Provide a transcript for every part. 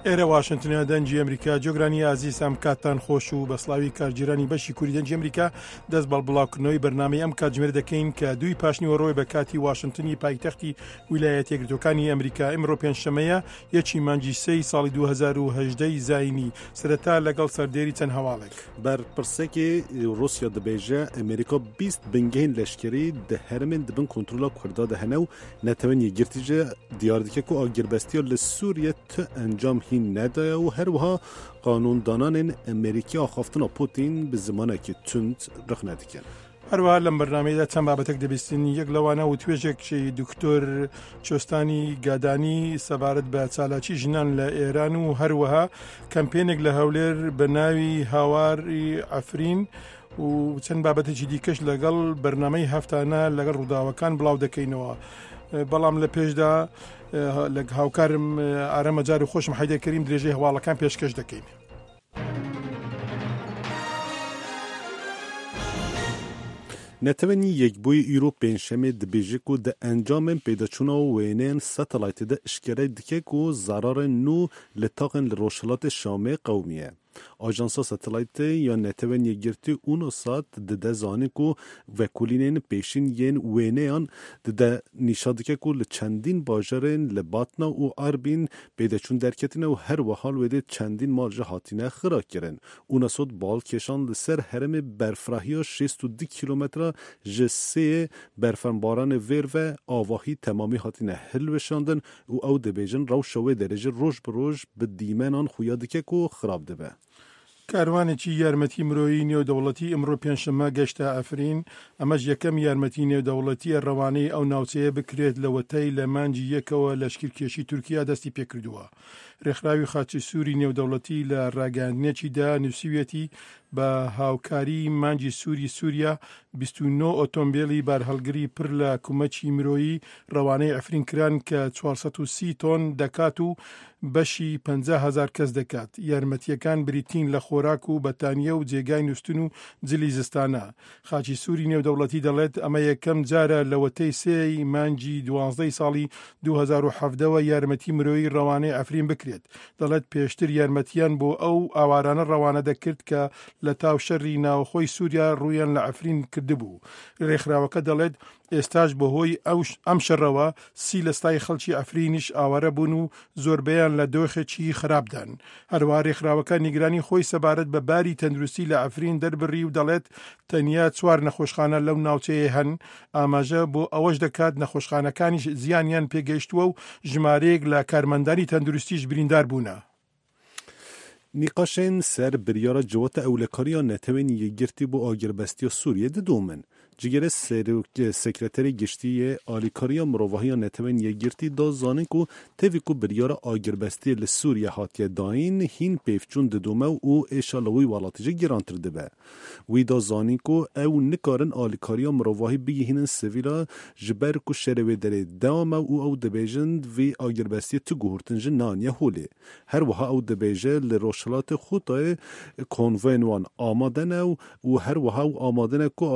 ئێرە واشنتنە دەنگی ئەمریکا جۆگرانی ئازیز ئەم کاتتان خۆش و بە سلاوی کارگیرانی بەشی کوری دەنگی ئەمریکا دەست بەڵ بڵاوکردنەوەی بەرنامەی ئەم کاتژمێر دەکەین کە دووی پاشنیوەڕۆی بە کاتی واشنتنی پایتەختی ویلایەتە یەکگرتووەکانی ئەمریکا ئمڕۆ پێنجشەمەیە یەکی مانگی سێی ساڵی 2018 زایینی سەرەتا لەگەڵ سەردێری چەند هەواڵێک. بەرپرسێکی ڕووسیا دەبێژێ ئەمریکا 20 بنگەهên leşkerî di herêmên di bin kontrola Kurda de hene û Netewên Yekgirtî jî diyar dike ku agirbestiya li Sûriye tu encam hîn nedaye û her wiha qanûndananên Amerîkî axaftina Pûtîn bi zimanekî tund rexne dikin. هەروەها لەم بەرنامەیەدا چەند بابەتێک دەبیستین یەک لەوانە وتوێژێکی دکتۆر چۆستانی گادانی سەبارەت بە چالاکی ژنان لە ئێران و هەروەها کەمپێنێک لە هەولێر بە ناوی هاواری ئەفرین و چەند بابەتێکی دیکەش لەگەڵ بەرنمەی هەفتانە لەگەڵ ڕووداوەکان بڵاو دەکەینەوە بەڵام لە پێشدا لە هاوکارم ئارەمەجار و خۆشم حیدەکەریم درێژەی هەواڵەکان پێشکەش دەکەین. Netewên Yekbûyî îro Pêncşemê dibêje ku di encamên pêdaçûna wêneyên satelaytê de eşkere dike ku zerarên nû li taxên li rojhilatê Şamê qewimiye. Ajansa Satelaytê ya Netewên Yekgirtî UNOSAT dide zanîn ku vekolînên pêşîn yên wêneyan dide nîşa dike ku li çendîn bajarên li Batna û Arbîn pêdeçûn derketine û her wiha li wê dê çendîn mal jî hatine xirakirin. UNOSAT bal kêşand li ser herêmê berfirahiya 62 kîlometre ji sêyê berfenbaranê vêr ve avahî temamî hatine hilweşandin û ew dibêjin rewşa wê derê jî roj bi roj bi dîmenan xuya dike ku xirab dibe. کاروانێکی یارمەتی مرۆیی نێودەوڵەتی ئمڕۆ پێنجشەممە گەشتە عەفرین، ئەمەش یەکەم یارمەتی نێودەوڵەتییە ڕەوانەی ئەو ناوچەیە بکرێت لەوەتەی لە مانگی یەکەوە لەشکرکێشی تورکیا دەستی پێکردووە. رێکخراوی خاچی سووری نێودەوڵەتی لە راگەیاندنێکیدا نووسیویەتی، بە هاوکاریی مانگی سووری سووریا 29 ئۆتۆمبێلی بارهەڵگری پر لە کومەکی مرۆیی رەوانەی عەفرین کران کە 430 تۆن دەکات و بەشی 50 هەزار کەس دەکات. یارمەتییەکان بریتین لە خۆراک و بەتانییە و جێگای نووستن و جلی زستانە. خاچی سووری نێودەوڵەتی دەڵێت، ئەمە یەکەم جارە لەوەتەی سێ ی مانگی دوانزدە ی ساڵی 2017 وە یارمەتی مرۆیی ڕەوانەی عەفرین بکرێت. دەڵێت، پێشتر یارمەتییان بۆ ئەو ئاوارانە ڕەوانە دەکرد کە لە تاو شەری ناوخۆی سووریا ڕوویان لە عەفرین کردبوو. رێکخراوەکە دەڵێت، ئێستاش بەهۆی ئەم شەڕەوە سی لە ستای خەڵکی عەفرینیش ئاوارە بوون و زۆربەیان لە دۆخێکی خراپدان. هەروەها رێکخراوەکە نیگرانی خۆی سەبارەت بە باری تەندروستی لە عەفرین دەربڕی و دەڵێت، تەنیا چوار نەخۆشخانە لەو ناوچەیە هەن، ئاماژە بۆ ئەوەش دەکات نەخۆشخانەکانیش زیانیان پێگەیشتووە و ژمارەیەک لە کارمەندانی تەندروستیش بریندار بوونە. Nîqaşên ser biryara Civata Ewlekariya Netewên Yekgirtî bo agirbestiya Sûriyê didomin. Cigirê Serok Sekreterê Giştî yê Alîkariya Mirovahiya Netewên Yekgirtî da zanîn ku tevî ku biryara agirbestiyê li Sûriye hatiye dayîn hîn pêvçûn didome û êşa li wî welatî jî girantir dibe. Wî da zanîn ku ew nikarin alîkariya mirovahî bigihînin sivîla ji ber ku şerê wê derê dewam e û ew dibêjin vî agirbestiyê tu guhurtin jî neaniye holê. Her wiha ew dibêje li Rojhilatê Xûtayê konvoyên wan amade ne û her wiha ew amade ne ku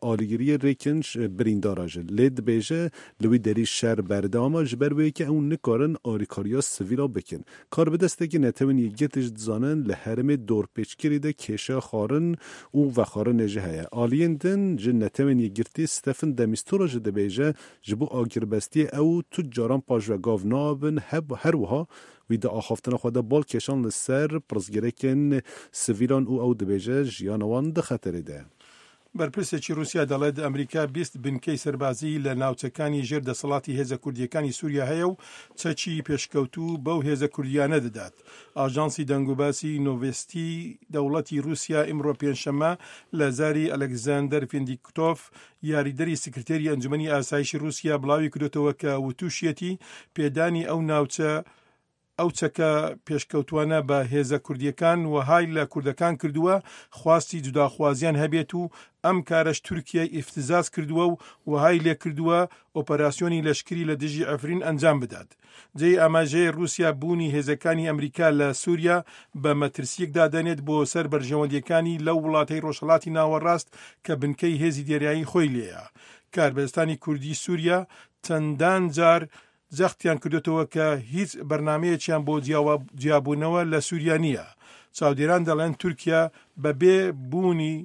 alîgiriyê rêkin birîndara jî. Lê dibêje li wî derî şer berdewam e ji ber wê yekê ew nikarin alîkariya sivîla bikin. Karbidestekî Netewên Yekgirtî jî dizanin li herêmê dorpêçkirî de kêşeya xwarin û vexwarinê jî heye. Aliyên din ji Netewên Yekgirtî Stephen de Mistura jî dibêje ji bo agirbestiyê ew tu caran paşve gav nabin her wiha Wî di axaftina xwe de bal kêşand li ser pirsgirêkên sivîlan û ew dibêje jiyana wan di xeterê de ye. بەرپرسێکی رووسیا دەڵێت، ئەمریکا 20 بنکەی سەربازیی لە ناوچەکانی ژێر دەسەڵاتی هێزە کوردییەکانی سووریا هەیە و چەکی پێشکەوتوو بەو هێزە کوردییانە دەدات. ئاژانسی دەنگوباسی نۆڤێستی دەوڵەتی رووسیا ئیمڕۆ پێنجشەممە لە زاری ئەلێکزاندەر فیندیکتۆف یاریدەری سکرتێری ئەنجومەنی ئاسایشی رووسیا بڵاوی کردۆتەوە کە وتوشیەتی پێدانی ئەو ناوچە ئەو چەکە پێشکەوتوانە بە هێزە کوردیەکان وەهای لە کوردەکان کردووە خواستی جوداخوازیان هەبێت و ئەم کارەش تورکیای ئیفتزاز کردووە و وەهای لێکردووە ئۆپەراسیۆنی لەشکری لە دژی عەفرین ئەنجام بدات. جێی ئاماژەیە رووسیا بوونی هێزەکانی ئەمریکا لە سووریا بە مەترسییەک دادەنێت بۆ سەر بەرژەوەندییەکانی لەو وڵاتەی رۆژهەڵاتی ناوەڕاست کە بنکەی هێزی دەریایی خۆی لێیە. کاربەدەستانی کوردی سووریا چەندان جار. جەختیان کردۆتەوە کە هیچ بەرنامەیەکیان بۆ جیابوونەوە لە سووریا نییە. چاودێران دەڵێن تورکیا بەبێ بوونی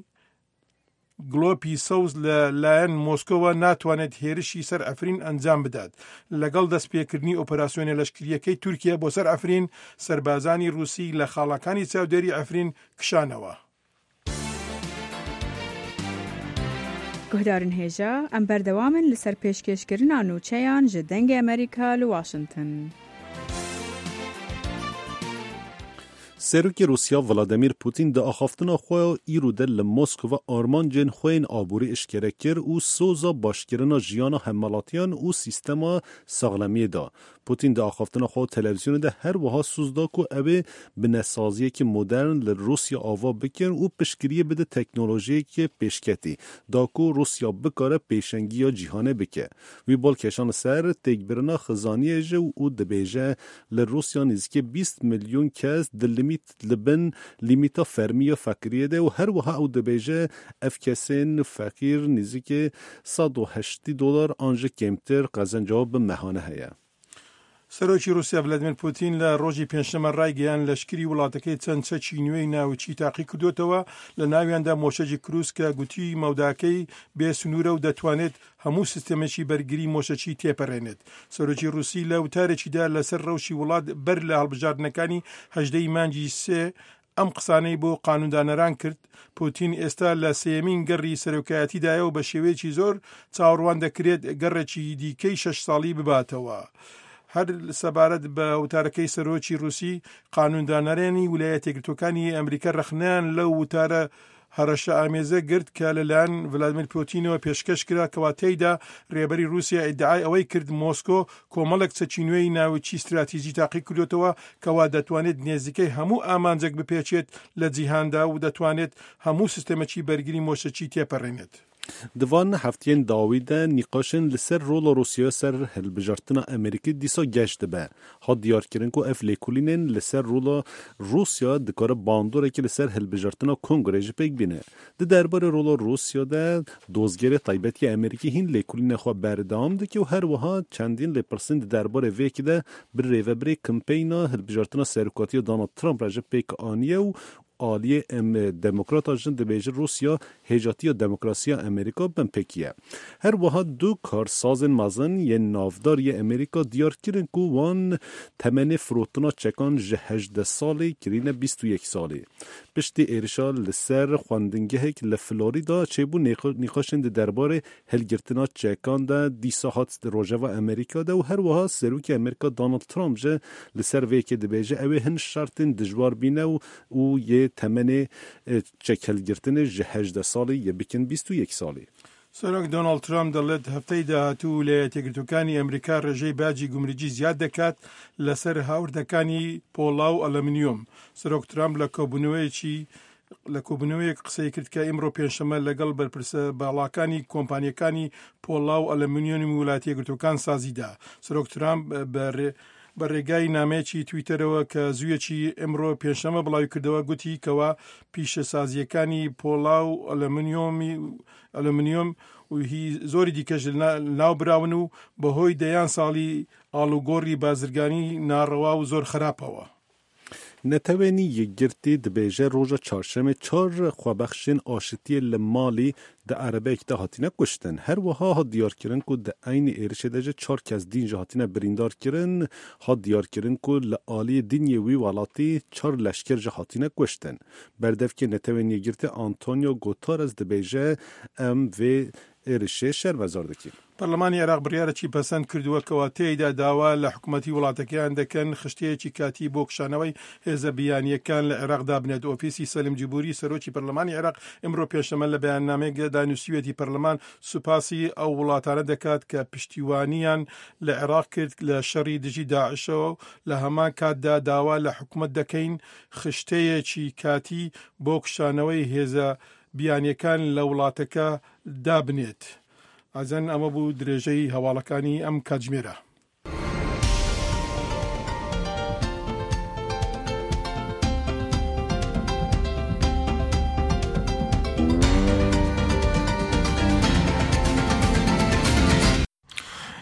گڵۆپی سەوز لە لایەن مۆسکۆوە ناتوانێت هێرشی سەر عەفرین ئەنجام بدات. لەگەڵ دەستپێکردنی ئۆپەراسیۆنە لەشکرییەکەی تورکیا بۆ سەر عەفرین، سەربازانی ڕووسی لە خاڵەکانی چاودێری عەفرین کشانەوە. Guhdarên hêja, em berdewam in li ser pêşkêşkirina nûçeyan ji Dengê Amerîka li Washington. Serokê Rûsya Vladimir Putin di axaftina xwe ya îro de li Moskova armancên xwe yên aborî eşkere kir û soza başkirina jiyana hemwelatiyan û sîstema saxlemiyê da. Putin di axaftina xwe ya televîzyonê de her wiha soz da ku ew ê binesaziyekî modern li Rûsya ava bikin û piştgiriyê bide teknolojiyekê pêşketî da ku Rûsya bikare pêşengiya cîhanê bike. Wî bal kêşan li ser têkbirina xizaniyê ji û dibêje li Rûsya nêzîkê 20 milyon kes di limît li bin lîmîta fermî ya feqîriyê de û her wiha ew dibêje ev kesên feqîr nêzîkê 180 dolar an ji kêmtir qezenca bi mehane heye. سەرۆکی ڕووسیا ڤلادیمێر پوتین لە ڕۆژی پێنجشەممە ڕایگەیاند لەشکری وڵاتەکەی چەند چەکی نوێی ناوکی تاقیکردۆتەوە لە ناویاندا مۆشەکی کروز کە گوتی مەوداکەی بێ سنوورە و دەتوانێت هەموو سیستەمێکی بەرگری مۆشەکی تێپەرێنێت. سەرۆکی ڕووسی لە وتارێکیدا لەسەر ڕەوشی وڵات بەر لە هەڵبژاردنەکانی 18 ی مانگی سێ ئەم قسانەی بۆ قانوندانەران کرد، پوتین ئێستا لە سێیەمین گەڕی سەرۆکایەتیدایە و بە شێوەیەکی زۆر چاوەڕوان دەکرێت گەڕێکی دیکەی شەش ساڵی بباتەوە. هەر سەبارەت بە وتارەکەی سەرۆکی رووسی، قانوندانەرانی ویلایەتە یەکگرتووەکانی ئەمریکا رەخنەیان لەو وتارە هەڕەشە ئامێزە گرت کە لەلایەن ڤلادیمیر پوتینەوە پێشکەش کرا کەوا تێیدا رێبەری رووسیا ئیدعای ئەوەی کرد مۆسکۆ کۆمەڵێک چەکی نوێی ناوکی ستراتیجی تاقی کردۆتەوە کەوا دەتوانێت نێزیکەی هەموو ئامانجێک بپێکێت لە جیهاندا و دەتوانێت هەموو سیستەمێکی بەرگری مۆشەکی تێپەرێنێت. Di van hefteyên dawî de nîqaşên li ser rola Rûsyaya ser hilbijartina Amerîkî dîsa geş dibe. Hat diyarkirin ku ev lêkolînên li ser rola Rûsya dikare bandorekê li ser hilbijartina Kongreyê jî pêk bîne. Di derbarê rola Rûsya de dozgerê taybet yê Amerîkî hîn lêkolînên xwe berdewam dike û her wiha çendîn lêpirsîn di derbarê vê yekê de bi rêvebirê kempeyna hilbijartina serokatiya Donald Trump re jî pêk aniye û Aliyê em Demokrata jin dibêjin Rûsya hêjatiya demokrasiya Amerîka binpêkiye. Her wiha du karsazên mezin yên navdar yê Amerîka diyar kirin ku wan temenê firotina çekan ji 18 salî kirîne 21 salî. Piştî êrişa li ser xwendingehek li Florîda çêbû nîqaşên di derbarê hilgirtina çekan de dîsa hat rojeva Amerîka de û her wiha Serokê Amerîka Donald Trump ji li ser vê yekê dibêje ew ê hin şertên dijwar bîne û û yê temenê çekhilgirtinê ji 18 salî yê bikin 21 salî. سەرۆک دۆناڵد ترەمپ دەڵێت هەفتەی داهاتوو ویلایەتە یەکگرتووەکانی ئەمریکا ڕێژەی باجی گومرگی زیاد دەکات لەسەر هاوردەکانی پۆڵا و ئەلەمنیۆم. سەرۆک ترەمپ لە کۆبوونەوەیەکی لە کۆبوونەوەیەک قسەی کرد کە ئیمڕۆ پێنجشەممە لەگەڵ بەرپرسە باڵاکانی کۆمپانیەکانی پۆڵا و ئەلەمنیۆمی ویلایەتە یەکگرتووەکان سازیدا. سەرۆک ترەمپ بە بە ڕێگای نامەیەکی تویتەرەوە کە زوویەکی ئمڕۆ پێنجشەممە بڵاویکردەوە گوتی کەوا پیشەسازییەکانی پۆڵا و ئەلەمنیۆمی ئەلەمنیۆم و هی زۆری دیکەش لەناو براون و بەهۆی دەیان ساڵی ئاڵوگۆڕی بازرگانی ناڕەوا و زۆر خراپەوە. Netewên Yekgirtî dibêje roja çarşemê çar xwebexşên aşitiyê li Malî di erebeyek de hatine kuştin. Her wiha hat diyarkirin ku di eynî êrişê de jî çar kes dîn jî hatine birîndarkirin. Hat diyarkirin ku li aliyê dîn yê wî welatî çar leşker jî hatine kuştin. Berdevkê Netewên Yekgirtî Antonio Guterres dibêje em vê êrişê şermezar dikîn. پەرلەمانی عێراق بڕیارێکی پەسەند کردووە کەوا تێیدا داوا لە حکومەتی وڵاتەکەیان دەکەن خشتەیەکی کاتی بۆ کشانەوەی هێزە بیانییەکان لە عێراق دابنێت. ئۆفیسی سەلیم جبوری سەرۆکی پەرلەمانی عێراق ئمڕۆ پێنجشەممە لە بەیاننامەیەکدا نووسیویەتی پەرلەمان سوپاسی ئەو وڵاتانە دەکات کە پشتیوانیان لە عێراق کرد لە شەڕی دژی داعشەوە و لە هەمان کاتدا داوا لە حکومەت دەکەین خشتەیەکی کاتی بۆ کشانەوەی هێزە بیانییەکان لە وڵاتەکە دابنێت. ئازیزان ئەمە بوو درێژەی هەواڵەکانی ئەم کاتژمێرە.